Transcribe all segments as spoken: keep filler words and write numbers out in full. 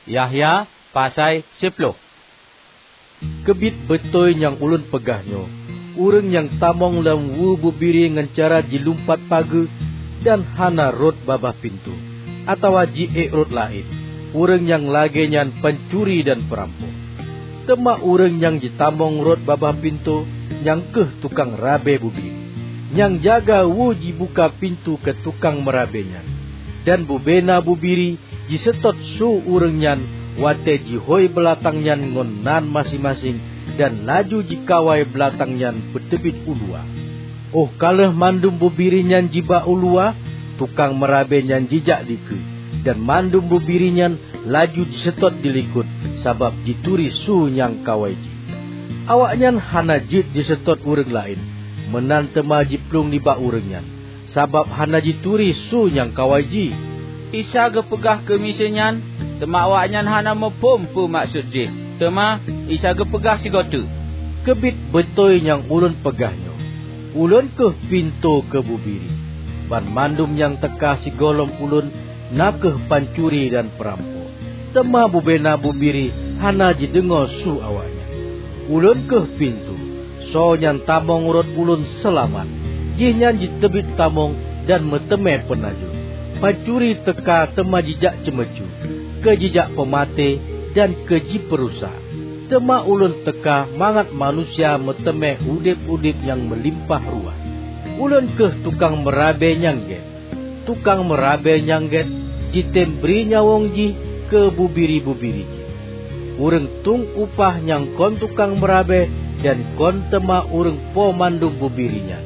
Yahya pasai siplôh. Keubiet beutôi nyang ulôn peugah nyoe: Ureuëng nyang tamong lam weue bubiri ngon cara jilumpat pageue dan hana rhot babah pintoe, atawa ji-ék rot laén, ureuëng nyang lagée nyan pancuri dan peurampok. Teuma ureuëng nyang jitamong rot babah pintoe, nyang kheueh tukang rabe bubiri, nyang jaga weue jibuka pintoe keu tukang meurabe nyan. Dan bubena bubiri jiseutôt su ureuëng nyan watée jihôi beulatang nyan ngon nan maséng-maséng, dan laju jikawai beulatang nyan peuteubiet u luwa. Óh ka lheueh mandum bubiri nyan jiba u luwa, tukang meurabe nyan jijak dikeue, dan mandum bubiri nyan laju jiseutôt dilikot, sabab jituri su nyang kawai jih. Awaknyan hana jeuet jiseutôt ureuëng laén, meunan teuma jiplueng nibak ureuëng nyan, sabab hana jituri su nyang kawai jih. Isa geupeugah keu miseue nyan, teuma awaknyan hana muphom peue maksud jih. Teuma Isa geupeugah sigoe teuk, "Keubiet beutôi nyang Ulôn peugah nyoe: Ulôn kheueh pintoe keu bubiri. Banmandum nyang teuka sigohlom Ulôn na kheueh pancuri dan peurampok, teuma bubena bubiri hana jideungoe su awaknyan. Ulôn kheueh pintoe. Soe nyang tamong rot Ulôn seulamat. Jihnyan jiteubiet tamong dan meuteumé peunajoh. Pancuri teuka teuma jijak ceumeucue, keu jijak peumaté dan keu jipeurusak. Teuma Ulôn teuka mangat manusia meuteumé udeb-udeb nyang meulimpah ruah. Ulôn kheueh tukang meurabe nyang gét. Tukang meurabe nyang gét jitem bri nyawöng jih keu bubiri-bubiri jih. Ureuëng tueng upah nyang kon tukang meurabe dan kon teuma ureuëng po mandum bubiri nyan.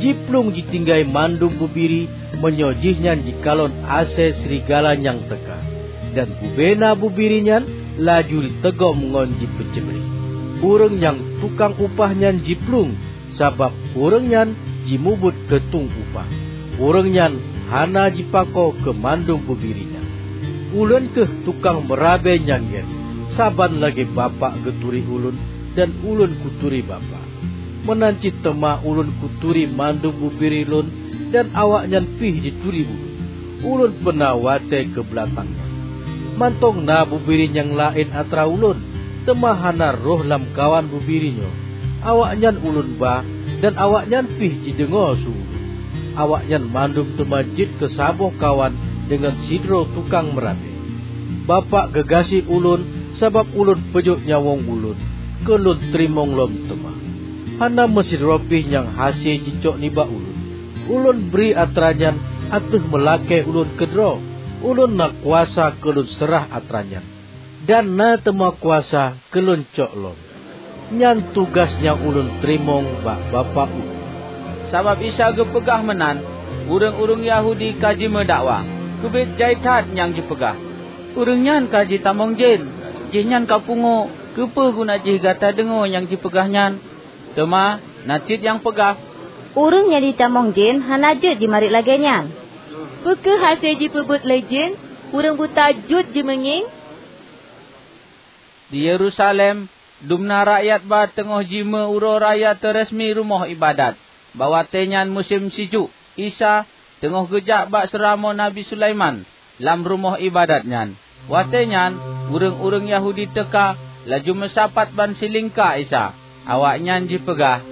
Jiplueng jitinggai mandum bubiri meunyoe jihnyan jikalon asée srigala nyang teuka, dan bubena bubiri nyan laju jiteugom ngon jipeucebri. Ureuëng nyang tukang upah nyan jiplueng, sabab ureuëng nyan jimubuet keu tueng upah. Ureuëng nyan hana jipako keu mandum bubiri nyan. Ulôn kheueh tukang meurabe nyang gét. Saban lagée Bapak geuturi Ulôn, dan Ulôn kuturi Bapak, meunan cit teuma Ulôn kuturi mandum bubiri Lôn, dan awaknyan pih jituri Ulôn. Ulôn peuna watée keu beulatang nyan. Mantong na bubiri nyang laén atra Ulôn, teuma hana rhoh lamkawan bubiri nyoe. Awaknyan Ulôn ba, dan awaknyan pih jideungoe su Ulôn. Awaknyan mandum teuma jeuet keu saboh kawan deungon sidroe tukang meurabe. Bapak geugaséh Ulôn sabab Ulôn peujok nyawöng Ulôn keu Lôn teurimong lom teuma. Hana meusidroe pih nyang hase jicok nibak Ulôn. Ulôn bri atra nyan ateueh meulakée Ulôn keudroe. Ulôn na kuasa keu Lôn seurah atra nyan, dan na teuma kuasa keu Lôn cok lom. Nyan tugaih nyang Ulôn teurimong bak Bapak Ulôn." Sabab Isa geupeugah meunan, ureuëng-ureuëng Yahudi ka jimeudakwa, "Keubiet jai that nyang jipeugah! Ureuëng nyan ka jitamong jén! Jihnyan ka pungo, keupeue guna jih gata deungoe nyang jipeugah nyan?" Teuma na cit nyang peugah, "Ureuëng nyang jitamong jén hana jeuet jimarit lagée nyan. Peu kheueh hase jipeubuet lé jén ureuëng buta jeuet jimeungieng?" Di Yerusalem, dumna rakyat ba teungoh jimeuuroe raya teuresmi rumoh iébadat. Bak watée nyan musém sijuek. Isa teungoh geujak bak seuramoe Nabi Sulaiman lam rumoh iébadat nyan. Watée nyan ureuëng-ureuëng Yahudi teuka laju meusapat ban silingka Isa. Awaknyan jipeugah,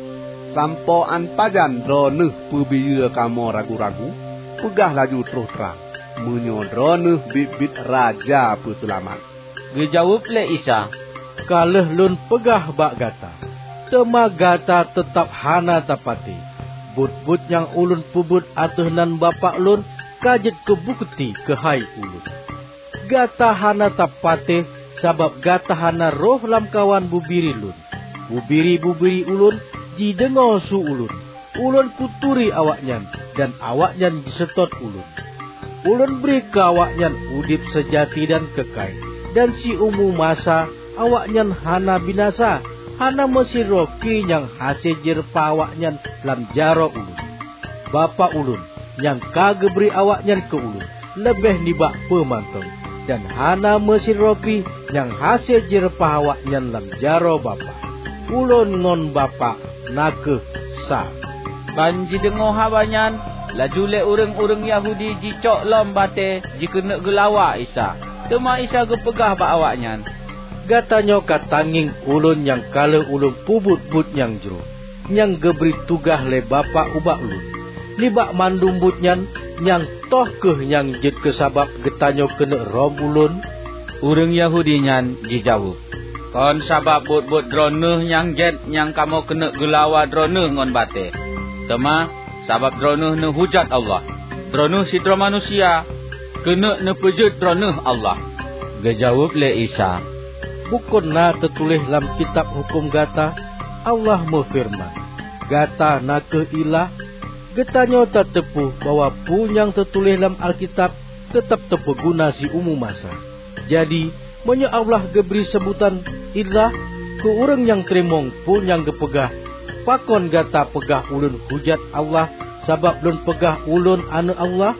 "Sampoe án pajan Droeneueh peubiyeu kamoe ragu-ragu? Peugah laju troh trang, meunyoe Droeneueh biet-biet Raja Peuseulamat." Geujaweueb lé Isa, "Ka lheueh Lôn peugah bak gata, teuma gata teutab hana tapatéh. Buet-buet nyang Ulôn peubuet ateueh nan Bapak Lôn ka jeuet keu bukeuti keuhai Ulôn. Gata hana tapatéh sabab gata hana rhoh lamkawan bubiri Lôn. Bubiri-bubiri Ulôn jideungoe su Ulôn. Ulôn kuturi awaknyan, dan awaknyan jiseutôt Ulôn. Ulôn bri keu awaknyan udeb seujati dan keukai, dan siumu masa awaknyan hana binasa. Hana meusidroe pi nyang hase jireupah awaknyan lam jaroe Ulôn. Bapak Ulôn, nyang ka geubri awaknyan keu Ulôn, leubeh nibak peue mantong, dan hana meusidroe pi nyang hase jireupah awaknyan lam jaroe Bapak. Ulôn ngon Bapak na kheueh sa." Ban jideungoe haba nyan, laju lé ureuëng-ureuëng Yahudi jicok lom batée jikeuneuk geulawa Isa. Teuma Isa geupeugah bak awaknyan, "Gata nyoe ka tangieng Ulôn nyang ka lheueh Ulôn peubuet buet nyang jroh, nyang geubri tugaih lé Bapak ubak Ulôn. Nibak mandum buet nyan, nyang toh kheueh nyang jeuet keu sabab geutanyoe keuneuk rhom Ulôn?" Ureuëng Yahudi nyan jijaweueb, "Kon sabab buet-buet Droeneueh nyang gét nyang kamoe keuneuk geulawa Droeneueh ngon batée, teuma sabab Droeneueh neuhujat Allah. Droeneueh sidroe manusia, keuneuk neupeujeuet Droeneueh Allah." Geujaweueb lé Isa, "Bukon na teutuléh lam kitab huköm gata, Allah meufeureuman, 'Gata na kheueh ilah'? Geutanyoe tateupeue bahwa peue nyang teutuléh lam Alkitab teutab teupeuguna siumu masa. Jadi, meunyoe Allah geubri seubutan 'ilah' keu ureuëng nyang teurimong peue nyang geupeugah, pakon gata peugah Ulôn hujat Allah sabab Lôn peugah Ulôn Aneuëk Allah?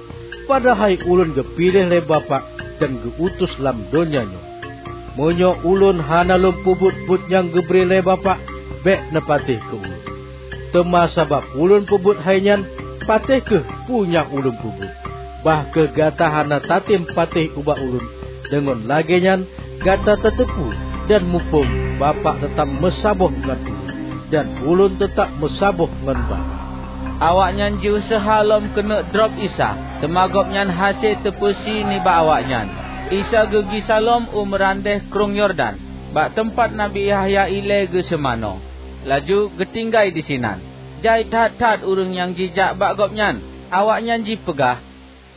Padahai Ulôn geupiléh lé Bapak dan geu-utus lam donya nyoe. Meunyoe Ulôn hana Lôn peubuet buet nyang geubri lé Bapak, bék neupatéh keu Ulôn. Teuma sabab Ulôn peubuet hai nyan, patéh kheueh peue nyang Ulôn peubuet. Bah kheueh gata hana tatem patéh ubak Ulôn, deungon lagée nyan gata tateupeue dan muphom Bapak teutab meusaboh ngon Ulôn, dan Ulôn teutab meusaboh ngon Bapak." Awaknyan jiuseuha lom keuneuk drob Isa, teuma Gobnyan hase teupeusie nibak awaknyan. Isa geugisa lom u meurandeh Krueng Yordan, bak teumpat Nabi Yahya ilée geuseumanoe, laju geutinggai disinan. Jai that-that ureuëng nyang jijak bak Gobnyan. Awaknyan jipeugah,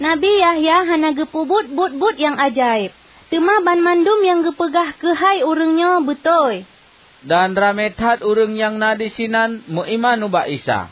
"Nabi Yahya hana geupeubuet buet-buet nyang ajaéb, teuma banmandum nyang geupeugah keuhai ureuëng nyoe beutôi." Dan ramé that ureuëng nyang na disinan meuiman ubak Isa.